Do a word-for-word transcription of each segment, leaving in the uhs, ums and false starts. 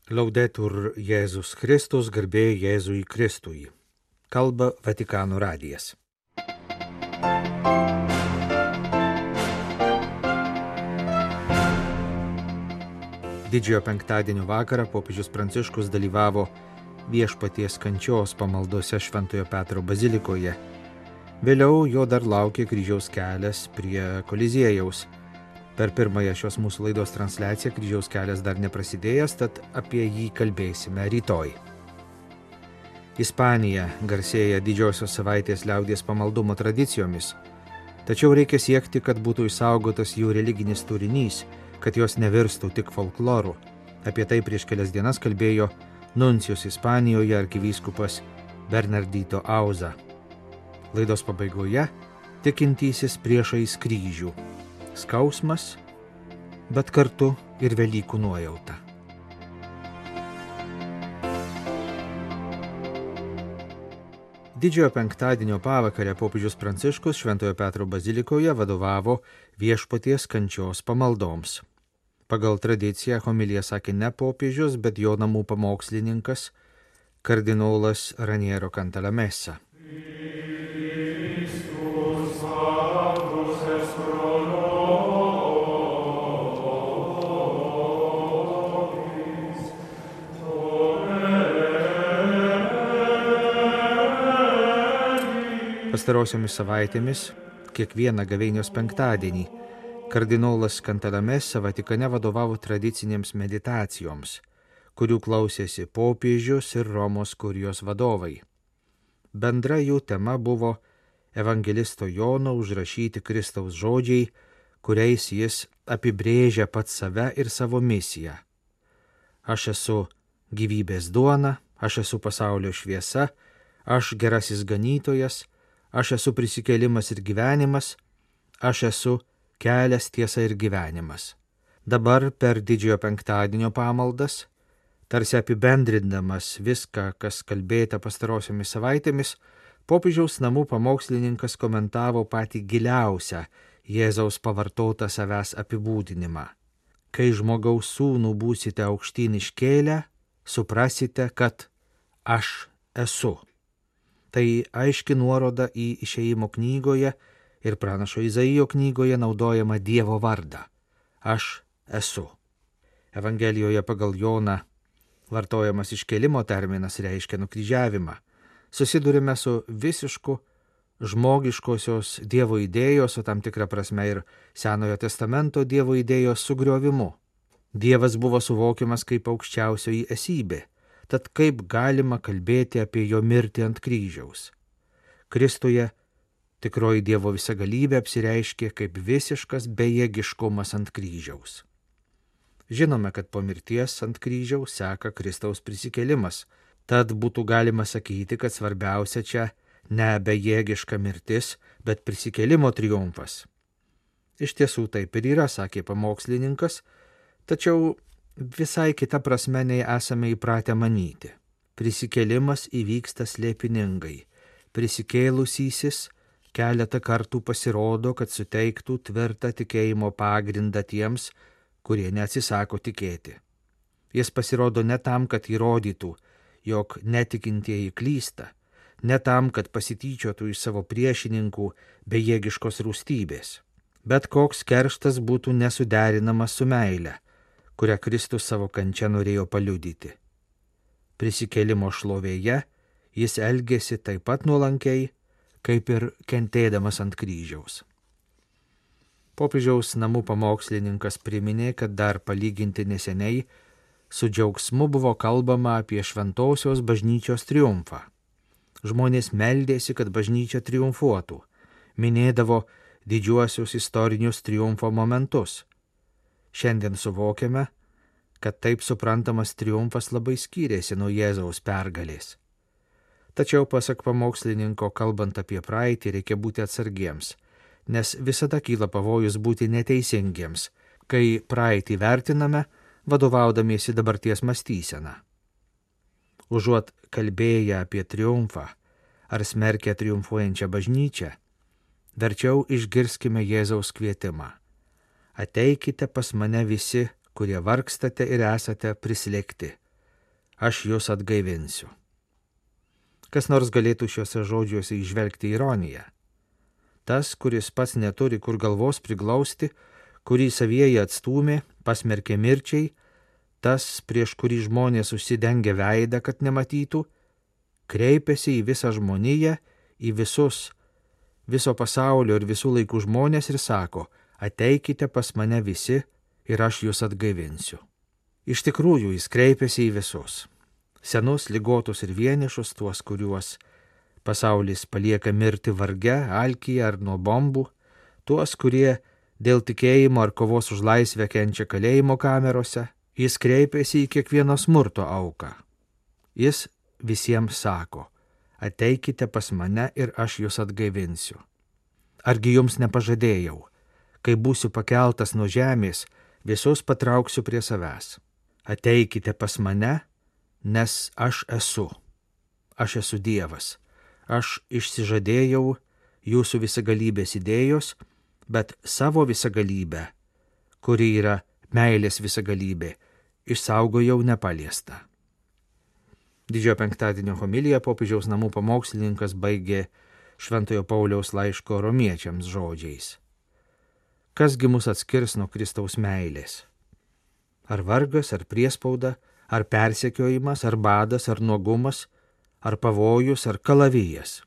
Laudetur Jėzus Kristus, garbė Jėzui Kristui. Kalba Vatikano radijas. Didžiojo penktadienio vakarą popiežius Pranciškus dalyvavo Viešpaties kančios pamaldose Šventojo Petro bazilikoje. Vėliau jo dar laukė kryžiaus kelias prie Koliziejaus. Per pirmąją šios mūsų laidos transliaciją kryžiaus kelias dar neprasidėjęs, tad apie jį kalbėsime rytoj. Ispanija garsėja didžiosios savaitės liaudies pamaldumo tradicijomis, tačiau reikia siekti, kad būtų išsaugotas jų religinis turinys, kad jos nevirstų tik folkloru. Apie tai prieš kelias dienas kalbėjo nuncijus Ispanijoje arkivyskupas Bernardito Auza. Laidos pabaigoje tikintysis priešais kryžių. Skausmas, bet kartu ir Velykų nuojauta. Didžiojo penktadienio pavakarę popiežius Pranciškus Šventojo Petro bazilikoje vadovavo Viešpaties kančios pamaldoms. Pagal tradiciją homiliją sakė ne popiežius, bet jo namų pamokslininkas kardinolas Raniero Cantalamessa. Pastarosiomis savaitėmis, kiekvieną gavėnios penktadienį, kardinolas Cantalamessa Vatikane vadovavo tradicinėms meditacijoms, kurių klausėsi popiežius ir Romos kurijos vadovai. Bendra jų tema buvo evangelisto Jono užrašyti Kristaus žodžiai, kuriais jis apibrėžia pats save ir savo misiją. Aš esu gyvybės duona, aš esu pasaulio šviesa, aš gerasis ganytojas, aš esu prisikėlimas ir gyvenimas, aš esu kelias, tiesa ir gyvenimas. Dabar per didžiojo penktadienio pamaldas, tarsi apibendrindamas viską, kas kalbėta pastarosiomis savaitėmis, popiežiaus namų pamokslininkas komentavo patį giliausią Jėzaus pavartotą savęs apibūdinimą. Kai žmogaus sūnų būsite aukštyn iškėlę, suprasite, kad aš esu. Tai aiški nuoroda į Išėjimo knygoje ir pranašo Izaijo knygoje naudojama Dievo vardą. Aš esu. Evangelijoje pagal Joną vartojamas iškėlimo terminas reiškia nukryžiavimą. Susidurime su visišku žmogiškosios Dievo idėjos, o tam tikrą prasme ir Senojo testamento Dievo idėjos sugriovimu. Dievas buvo suvokiamas kaip aukščiausioji esybė. Tad kaip galima kalbėti apie jo mirtį ant kryžiaus? Kristuje tikroji Dievo visagalybė apsireiškė kaip visiškas bejėgiškumas ant kryžiaus. Žinome, kad po mirties ant kryžiaus seka Kristaus prisikėlimas, tad būtų galima sakyti, kad svarbiausia čia ne bejėgiška mirtis, bet prisikėlimo triumfas. Iš tiesų taip ir yra, sakė pamokslininkas, tačiau visai kita prasme nei esame įpratę manyti. Prisikėlimas įvyksta slėpiningai. Prisikėlusysis keletą kartų pasirodo, kad suteiktų tvirtą tikėjimo pagrindą tiems, kurie neatsisako tikėti. Jis pasirodo ne tam, kad įrodytų, jog netikintieji klysta, ne tam, kad pasityčiotų iš savo priešininkų bejėgiškos rūstybės, bet koks kerštas būtų nesuderinamas su meile, kurią Kristus savo kančia norėjo paliudyti. Prisikėlimo šlovėje jis elgėsi taip pat nuolankiai, kaip ir kentėdamas ant kryžiaus. Popiežiaus namų pamokslininkas priminė, kad dar palyginti neseniai su džiaugsmu buvo kalbama apie šventosios bažnyčios triumfą. Žmonės meldėsi, kad bažnyčia triumfuotų, minėdavo didžiuosius istorinius triumfo momentus. Šiandien suvokiame, kad taip suprantamas triumfas labai skyrėsi nuo Jėzaus pergalės. Tačiau, pasak pamokslininko, kalbant apie praeitį, reikia būti atsargiems, nes visada kyla pavojus būti neteisingiems, kai praeitį vertiname, vadovaudamiesi dabarties mąstyseną. Užuot kalbėję apie triumfą ar smerkę triumfuojančią bažnyčią, verčiau išgirskime Jėzaus kvietimą. Ateikite pas mane visi, kurie vargstate ir esate prislėgti, aš jūs atgaivinsiu. Kas nors galėtų šiuose žodžiuose įžvelgti ironiją. Tas, kuris pats neturi kur galvos priglausti, kurį savieji atstūmė, pasmerkė mirčiai, tas, prieš kurį žmonės užsidengia veidą, kad nematytų, kreipiasi į visą žmoniją, į visus, viso pasaulio ir visų laikų žmonės ir sako, ateikite pas mane visi ir aš jūs atgaivinsiu. Iš tikrųjų, jis kreipiasi į visus. Senus, ligotus ir vienišus, tuos, kuriuos pasaulis palieka mirti varge, alkyje ar nuo bombų, tuos, kurie dėl tikėjimo ar kovos už laisvę kenčia kalėjimo kamerose, jis kreipiasi į kiekvieno smurto auką. Jis visiems sako, ateikite pas mane ir aš jūs atgaivinsiu. Argi jums nepažadėjau, kai būsiu pakeltas nuo žemės, visus patrauksiu prie savęs. Ateikite pas mane, nes aš esu. Aš esu Dievas. Aš išsižadėjau jūsų visagalybės idėjos, bet savo visagalybę, kuri yra meilės visagalybė, išsaugojau nepaliestą. Didžiojo penktadienio homiliją popiežiaus namų pamokslininkas baigė Šventojo Pauliaus laiško romiečiams žodžiais. Kasgi mus atskirs nuo Kristaus meilės? Ar vargas, ar priespauda, ar persekiojimas, ar badas, ar nuogumas, ar pavojus, ar kalavijas?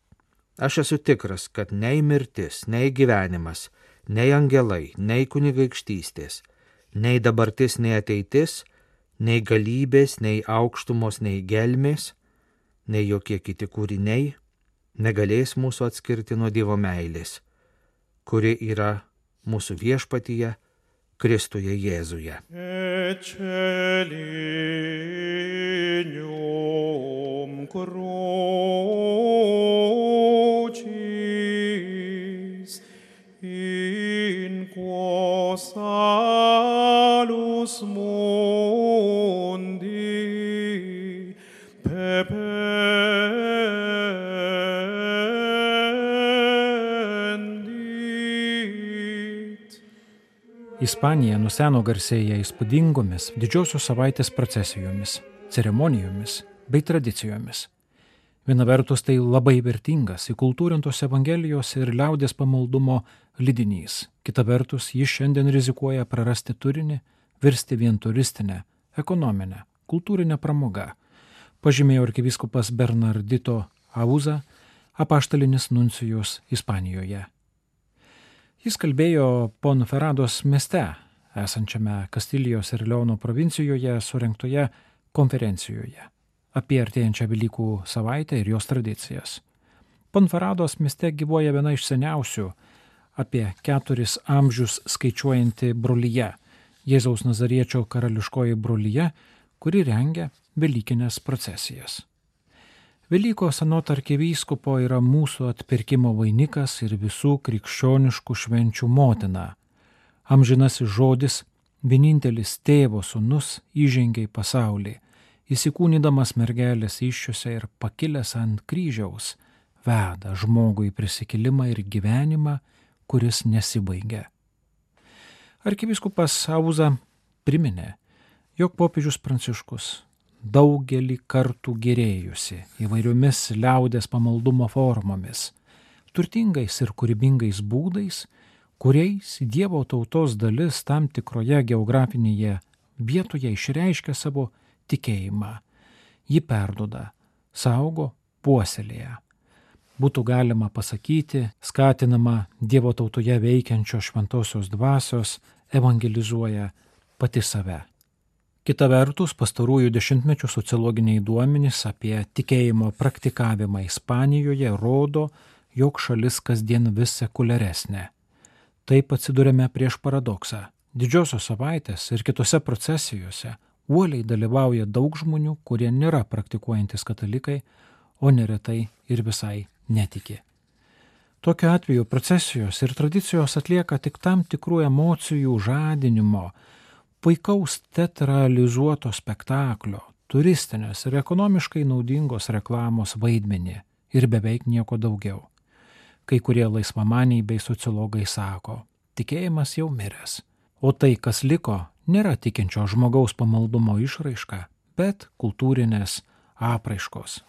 Aš esu tikras, kad nei mirtis, nei gyvenimas, nei angelai, nei kunigaikštystės, nei dabartis, nei ateitis, nei galybės, nei aukštumos, nei gelmės, nei jokie kiti kūriniai negalės mūsų atskirti nuo Dievo meilės, kuri yra mūsų viešpatyje, Kristuje Jėzuje. Eccelinium crucis in quo salus mundi pependit. Ispanija nuo seno garsėja įspūdingomis didžiosios savaitės procesijomis, ceremonijomis bei tradicijomis. Viena vertus tai labai vertingas įkultūrintos evangelijos ir liaudės pamaldumo lydinys. Kita vertus jis šiandien rizikuoja prarasti turinį, virsti vien turistinę, ekonominę, kultūrinę pramogą, pažymėjo arkivyskupas Bernardito Auza, apaštalinis nuncijus Ispanijoje. Jis kalbėjo Ponferados mieste, esančiame Kastilijos ir Leono provincijoje surengtoje konferencijoje apie artėjančią Velykų savaitę ir jos tradicijas. Ponferados mieste gyvuoja viena iš seniausių, apie keturis amžius skaičiuojanti brolyje, Jėzaus Nazariečio karališkoji brolyje, kuri rengia velykinės procesijas. Velykos anot arkivyskupo yra mūsų atpirkimo vainikas ir visų krikščioniškų švenčių motina. Amžinasis žodis, vienintelis tėvo sūnus įžengė į pasaulį, įsikūnydamas mergelės įsčiose ir pakilęs ant kryžiaus, veda žmogų į prisikėlimą ir gyvenimą, kuris nesibaigia. Arkivyskupas Auza priminė, jog popiežius Pranciškus daugelį kartų gėrėjusi įvairiomis liaudės pamaldumo formomis, turtingais ir kūrybingais būdais, kuriais Dievo tautos dalis tam tikroje geografinėje vietoje išreiškia savo tikėjimą. Ji perduoda, saugo, puoselėja. Būtų galima pasakyti, skatinama Dievo tautoje veikiančios šventosios dvasios, evangelizuoja pati save. Kita vertus, pastarųjų dešimtmečių sociologiniai duomenys apie tikėjimo praktikavimą Ispanijoje rodo, jog šalis kasdien vis sekuliaresnė. Taip atsidurėme prieš paradoksą. Didžiosios savaitės ir kitose procesijose uoliai dalyvauja daug žmonių, kurie nėra praktikuojantis katalikai, o neretai ir visai netiki. Tokiu atveju procesijos ir tradicijos atlieka tik tam tikrų emocijų žadinimo, puikaus teatralizuoto spektaklio, turistinės ir ekonomiškai naudingos reklamos vaidmenį ir beveik nieko daugiau. Kai kurie laisvamaniai bei sociologai sako, tikėjimas jau miręs, o tai, kas liko, nėra tikinčio žmogaus pamaldumo išraiška, bet kultūrinės apraiškos.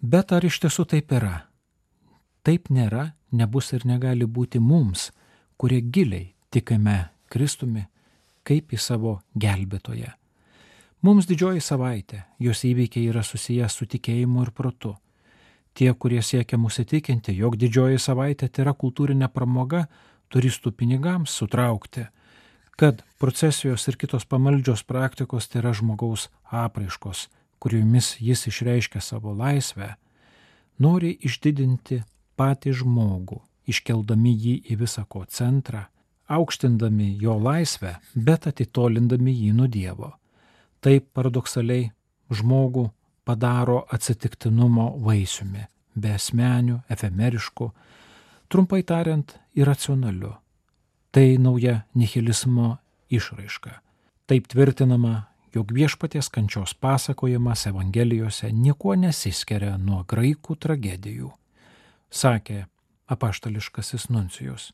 Bet ar iš tiesų taip yra? Taip nėra, nebus ir negali būti mums, kurie giliai tikime Kristumi kaip į savo gelbėtoją. Mums didžioji savaitė, jos įvykiai yra susijęs su tikėjimu ir protu. Tie, kurie siekia mus įtikinti, jog didžioji savaitė tai yra kultūrinė pramoga, turistų pinigams sutraukti, kad procesijos ir kitos pamaldžios praktikos tai yra žmogaus apraiškos, kuriomis jis išreiškia savo laisvę, nori išdidinti patį žmogų, iškeldami jį į visako centrą, aukštindami jo laisvę, bet atitolindami jį nuo Dievo. Taip paradoksaliai žmogų padaro atsitiktinumo vaisiumi, beasmeniu, efemerišku, trumpai tariant, iracionaliu. Tai nauja nihilizmo išraiška. Taip tvirtinama, jog viešpaties kančios pasakojimas Evangelijose niekuo nesiskiria nuo graikų tragedijų, sakė apaštališkasis nuncijus.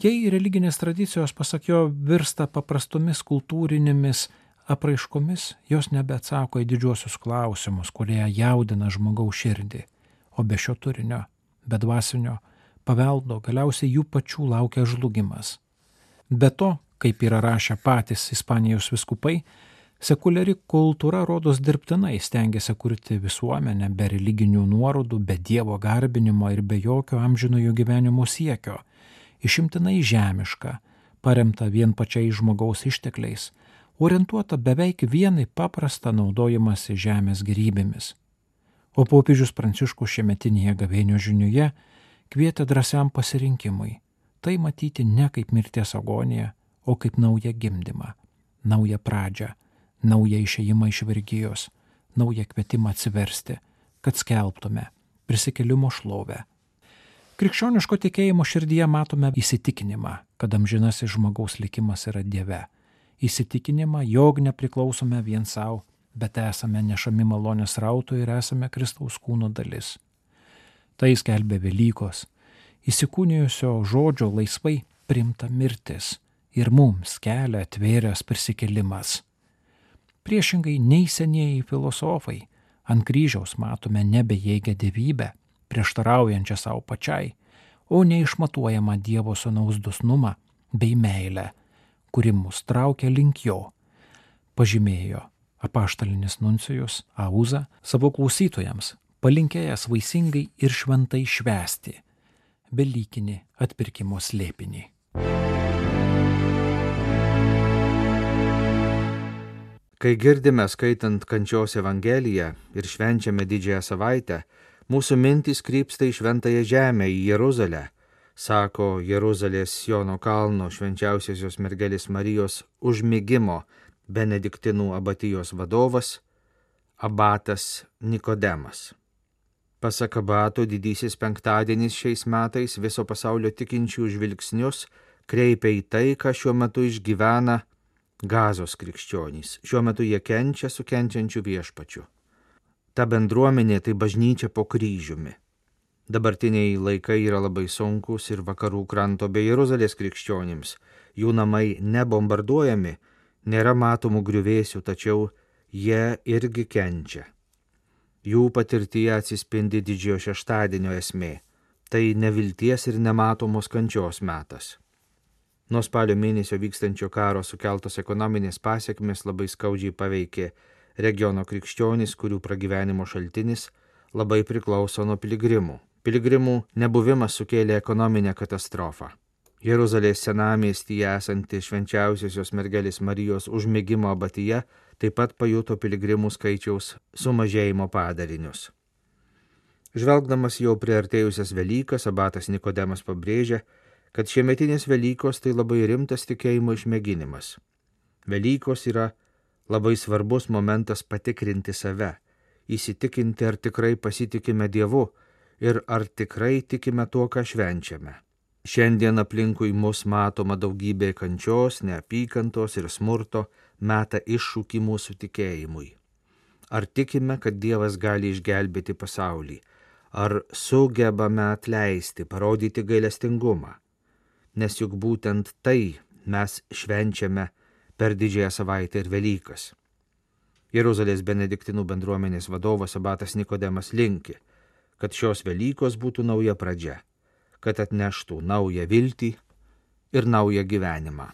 Jei religinės tradicijos, pasak jo, virsta paprastomis kultūrinėmis apraiškomis, jos nebeatsako į didžiuosius klausimus, kurie jaudina žmogaus širdį, o be šio turinio, be dvasinio paveldo galiausiai jų pačių laukia žlugimas. Be to, kaip yra rašę patys Ispanijos vyskupai, sekuliari kultūra rodos dirbtinai stengiasi kurti visuomenę be religinių nuorodų, be Dievo garbinimo ir be jokio amžinojo gyvenimo siekio, išimtinai žemiška, paremta vien pačiais žmogaus ištekliais, orientuota beveik vienai paprastą naudojimąsi žemės gėrybėmis. O popiežius Pranciškus šiemetinėje gavėnios žinioje kvietė drąsiam pasirinkimui, tai matyti ne kaip mirties agoniją, o kaip naują gimdymą, naują pradžią, naują išėjimą iš vergijos, naują kvietimą atsiversti, kad skelbtume prisikėlimo šlovę. Krikščioniško tikėjimo širdyje matome įsitikinimą, kad amžinasis žmogaus likimas yra Dieve. Įsitikinimą, jog nepriklausome vien savo, bet esame nešami malonės rautų ir esame Kristaus kūno dalis. Tai skelbė Velykos, įsikūnijusio žodžio laisvai priimta mirtis ir mums kelią atvėręs prisikėlimas. Priešingai nei senieji filosofai, ant kryžiaus matome nebejėgę dievybę, prieštaraujančią savo pačiai, o neišmatuojamą Dievo sūnaus dosnumą bei meilę, kuri mus traukia link jo, pažymėjo apaštalinis nuncijus Auza savo klausytojams, palinkėjęs vaisingai ir šventai švęsti velykinį atpirkimo slėpinį. Kai girdime skaitant kančios Evangeliją ir švenčiame didžiąją savaitę, mūsų mintys krypsta į šventąją žemę, į Jeruzalę, sako Jeruzalės Siono kalno švenčiausiosios mergelės Marijos užmigimo Benediktinų abatijos vadovas, abatas Nikodemas. Pasak abato, didysis penktadienis šiais metais viso pasaulio tikinčių žvilgsnius kreipia į tai, ką šiuo metu išgyvena Gazos krikščionys. Šiuo metu jie kenčia su kenčiančiu viešpačiu. Ta bendruomenė tai bažnyčia po kryžiumi. Dabartiniai laikai yra labai sunkus ir vakarų kranto bei Jeruzalės krikščionims. Jų namai nebombarduojami, nėra matomų griuvėsių, tačiau jie irgi kenčia. Jų patirtyje atsispindi didžiojo šeštadienio esmė. Tai nevilties ir nematomos kančios metas. Nuo spalio mėnesio vykstančio karo sukeltos ekonominės pasiekmes labai skaudžiai paveikė regiono krikščionys, kurių pragyvenimo šaltinis labai priklauso nuo piligrimų. Piligrimų nebuvimas sukėlė ekonominę katastrofą. Jeruzalės senamiestyje esanti švenčiausiosios mergelės Marijos užmigimo abatija taip pat pajuto piligrimų skaičiaus sumažėjimo padarinius. Žvelgdamas jau priartėjusias Velykas, abatas Nikodemas pabrėžia, kad šiemetinės Velykos tai labai rimtas tikėjimo išmėginimas. Velykos yra labai svarbus momentas patikrinti save, įsitikinti, ar tikrai pasitikime Dievu ir ar tikrai tikime tuo, ką švenčiame. Šiandien aplinkui mus matoma daugybė kančios, neapykantos ir smurto meta iššūkį mūsų tikėjimui. Ar tikime, kad Dievas gali išgelbėti pasaulį? Ar sugebame atleisti, parodyti gailestingumą? Nes juk būtent tai mes švenčiame per didžiąją savaitę ir Velykas. Jeruzalės benediktinų bendruomenės vadovas abatas Nikodemas linki, kad šios Velykos būtų nauja pradžia, kad atneštų naują viltį ir naują gyvenimą.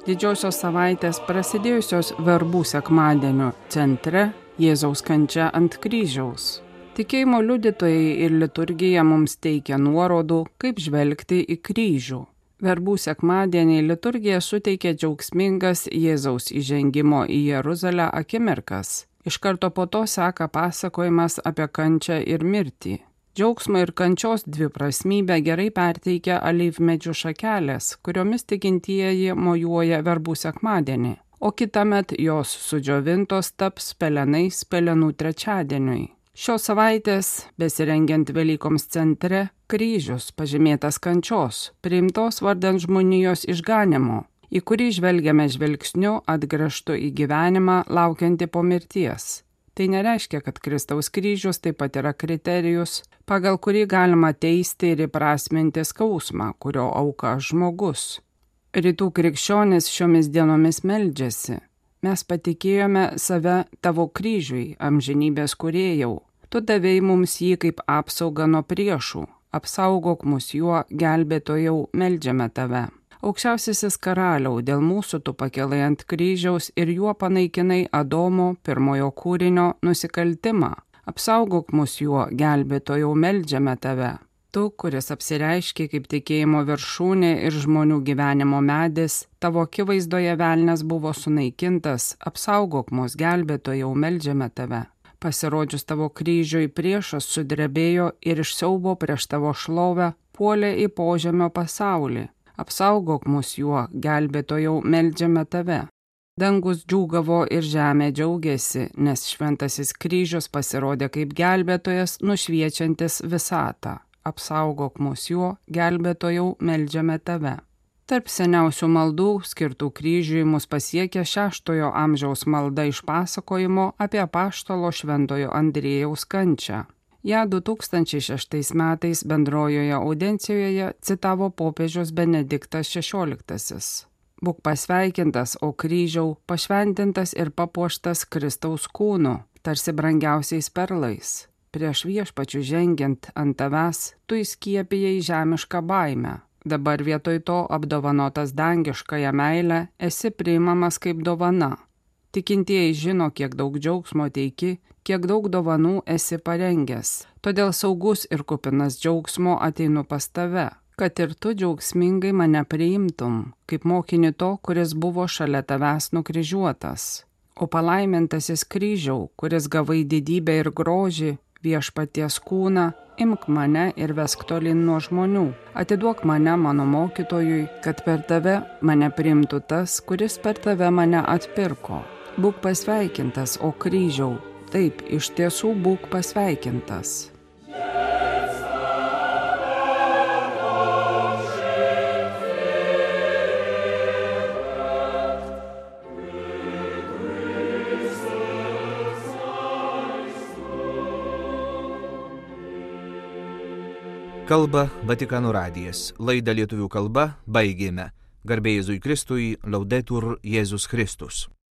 Didžiosios savaitės prasidėjusios verbų sekmadienio centre Jėzaus kančia ant kryžiaus. Tikėjimo liudytojai ir liturgija mums teikia nuorodų, kaip žvelgti į kryžių. Verbų sekmadienį liturgija suteikia džiaugsmingas Jėzaus įžengimo į Jeruzalę akimirkas. Iš karto po to seka pasakojimas apie kančią ir mirtį. Džiaugsmo ir kančios dviprasmybę gerai perteikia alyvmedžių šakelės, kuriomis tikintieji mojuoja verbų sekmadienį, o kitąmet jos sudžiovintos taps pelenais pelenų trečiadieniui. Šios savaitės, besirengiant Velykoms centre, kryžius pažymėtas kančios, priimtos vardan žmonijos išganimo, į kurį žvelgiame žvilgsniu atgręžtu į gyvenimą laukiantį po mirties. Tai nereiškia, kad Kristaus kryžius taip pat yra kriterijus, pagal kurį galima teisti ir įprasminti skausmą, kurio auka žmogus. Rytų krikščionys šiomis dienomis meldžiasi. Mes patikėjome save tavo kryžiui, amžinybės kūrėjau. Tu davei mums jį kaip apsaugą nuo priešų. Apsaugok mus juo, gelbėtojau, meldžiame tave. Aukščiausiasis karaliau, dėl mūsų tu pakelai ant kryžiaus ir juo panaikinai Adomo pirmojo kūrinio nusikaltimą. Apsaugok mus juo, gelbėtojau, meldžiame tave. Tu, kuris apsireiškė kaip tikėjimo viršūnė ir žmonių gyvenimo medis, tavo akivaizdoje velnias buvo sunaikintas, apsaugok mus, gelbėtojau, meldžiame tave. Pasirodžius tavo kryžiui priešas sudrebėjo ir iš siaubo prieš tavo šlovę puolė į požemio pasaulį. Apsaugok mus juo, gelbėtojau, meldžiame tave. Dangus džiūgavo ir žemė džiaugiasi, nes šventasis kryžius pasirodė kaip gelbėtojas nušviečiantis visatą. Apsaugok mus juo, gelbėtojau, meldžiame tave. Tarp seniausių maldų, skirtų kryžiui, mus pasiekė šeštojo amžiaus malda iš pasakojimo apie apaštalo šventojo Andriejaus kančią. Ja du tūkstančiai šeštais metais bendrojoje audiencijoje citavo popiežius Benediktas šešioliktasis. Būk pasveikintas, o kryžiau, pašventintas ir papuoštas Kristaus kūnu, tarsi brangiausiais perlais. Prieš viešpačių žengiant ant tavęs, tu įskiepijai žemišką baimę. Dabar vietoj to apdovanotas dangiškąją meilę, esi priimamas kaip dovana. Tikintieji žino, kiek daug džiaugsmo teiki, kiek daug dovanų esi parengęs. Todėl saugus ir kupinas džiaugsmo ateinu pas tave, kad ir tu džiaugsmingai mane priimtum, kaip mokinį to, kuris buvo šalia tavęs nukryžiuotas. O palaimintasis kryžiau, kuris gavai didybę ir grožį, viešpaties kūną, imk mane ir vesk tolin nuo žmonių. Atiduok mane mano mokytojui, kad per tave mane priimtų tas, kuris per tave mane atpirko. Būk pasveikintas, o kryžiau, taip, iš tiesų būk pasveikintas. Kalba Vatikano radijas. Laidą lietuvių kalba baigėme. Garbė Jėzui Kristui, Laudetur Jėzus Kristus.